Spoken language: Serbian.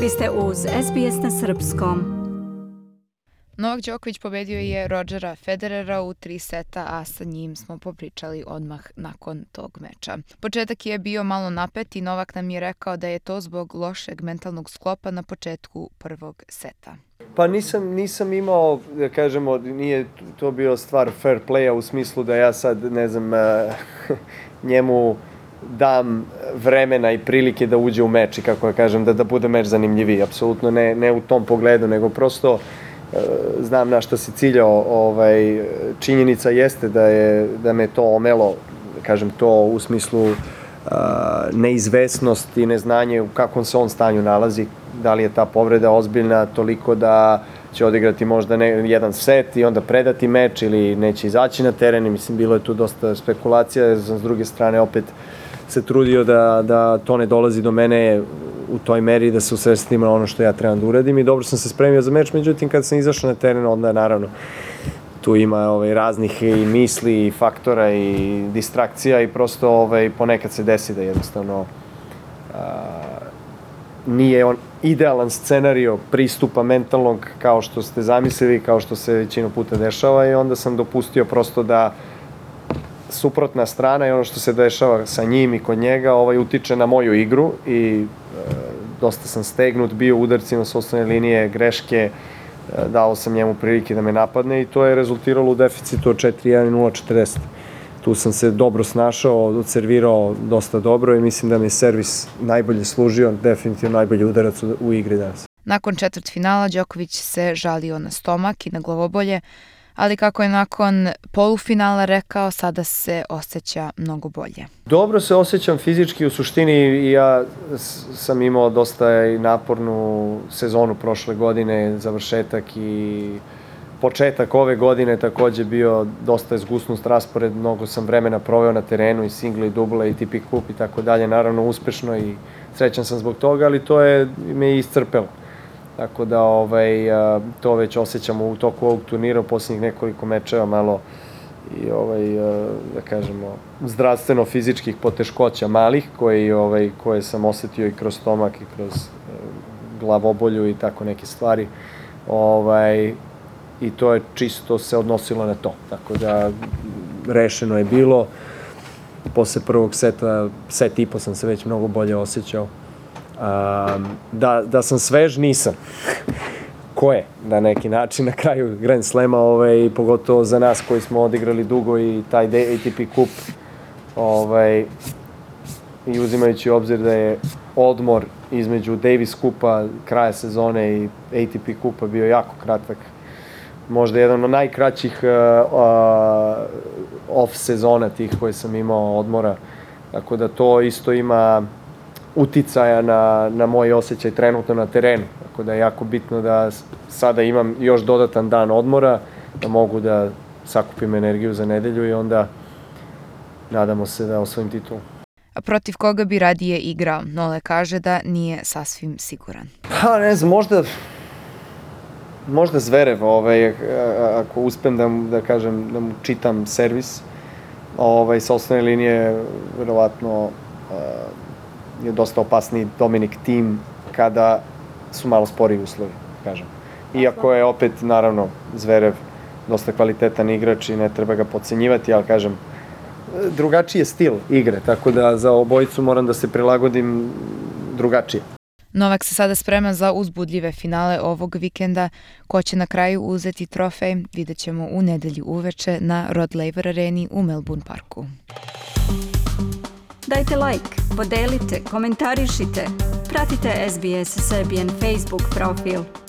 Vi ste uz SBS na srpskom. Novak Đoković pobedio je Rodgera Federera u 3 seta, a sa njim smo popričali odmah nakon tog meča. Početak je bio malo napet i Novak nam je rekao da je to zbog lošeg mentalnog sklopa na početku prvog seta. Pa nisam imao, da kažemo, nije to bio stvar fair playa u smislu da ja sad, ne znam, njemu dam vremena i prilike da uđe u meč i kako ja kažem, da bude meč zanimljiviji. Apsolutno ne u tom pogledu, nego prosto znam na šta se ciljao. Činjenica jeste da me to omelo, kažem to u smislu neizvesnost i neznanje u kakvom se on stanju nalazi, da li je ta povreda ozbiljna toliko da će odigrati možda jedan set i onda predati meč ili neće izaći na teren. I mislim, bilo je tu dosta spekulacija, s druge strane opet se trudio da to ne dolazi do mene u toj meri, da se usredstim na ono što ja trebam da uradim i dobro sam se spremio za meč, međutim kad sam izašao na teren onda naravno tu ima raznih i misli i faktora i distrakcija i prosto ponekad se desi da jednostavno nije on idealan scenario pristupa mentalnog kao što ste zamislili, kao što se većinu puta dešava i onda sam dopustio prosto da suprotna strana i ono što se dešava sa njim i kod njega utiče na moju igru i dosta sam stegnut bio udarcima s osnovne linije, greške, dao sam njemu prilike da me napadne i to je rezultiralo u deficitu od 4-1 i 0-40. Tu sam se dobro snašao, odservirao dosta dobro i mislim da mi je servis najbolje služio, definitivno najbolji udarac u igri danas. Nakon četvrtfinala Đoković se žalio na stomak i na glavobolje, ali kako je nakon polufinala rekao, sada se osjeća mnogo bolje. Dobro se osjećam fizički, u suštini i ja sam imao dosta i napornu sezonu prošle godine, završetak i početak ove godine takođe bio dosta zgusnut raspored, mnogo sam vremena proveo na terenu i single i duble i ATP kup i tako dalje, naravno uspešno i srećan sam zbog toga, ali to je me iscrpelo. Tako da to već osjećamo u toku ovog turnira, u posljednjih nekoliko mečeva malo i da kažemo zdravstveno-fizičkih poteškoća malih koje sam osetio i kroz stomak i kroz glavobolju i tako neke stvari. I to je čisto se odnosilo na to. Tako da rešeno je bilo. Posle prvog seta, set i po sam se već mnogo bolje osjećao. Da sam svež, nisam. Ko je, na neki način, na kraju Grand Slema, pogotovo za nas koji smo odigrali dugo i taj ATP kup, i uzimajući u obzir da je odmor između Davis kupa, kraja sezone i ATP kupa bio jako kratak. Možda jedan od najkraćih off sezona tih koje sam imao odmora. Tako da to isto ima uticaja na moj osjećaj trenutno na terenu. Tako da je jako bitno da sada imam još dodatan dan odmora, da mogu da sakupim energiju za nedelju i onda nadamo se da osvojim titulu. A protiv koga bi radije igrao? Nole kaže da nije sasvim siguran. Pa ne znam, možda Zverev, ako uspem da kažem, da mu čitam servis, sa osnovne linije verovatno je dosta opasniji Dominic Thiem kada su malo sporiji uslovi, kažem. Iako je opet, naravno, Zverev dosta kvalitetan igrač i ne treba ga podcenjivati, ali kažem, drugačiji je stil igre, tako da za obojicu moram da se prilagodim drugačije. Novak se sada sprema za uzbudljive finale ovog vikenda. Ko će na kraju uzeti trofej, vidjet ćemo u nedelju uveče na Rod Laver Areni u Melbourne Parku. Dajte like, podelite, komentarišite, pratite SBS Serbian Facebook profil.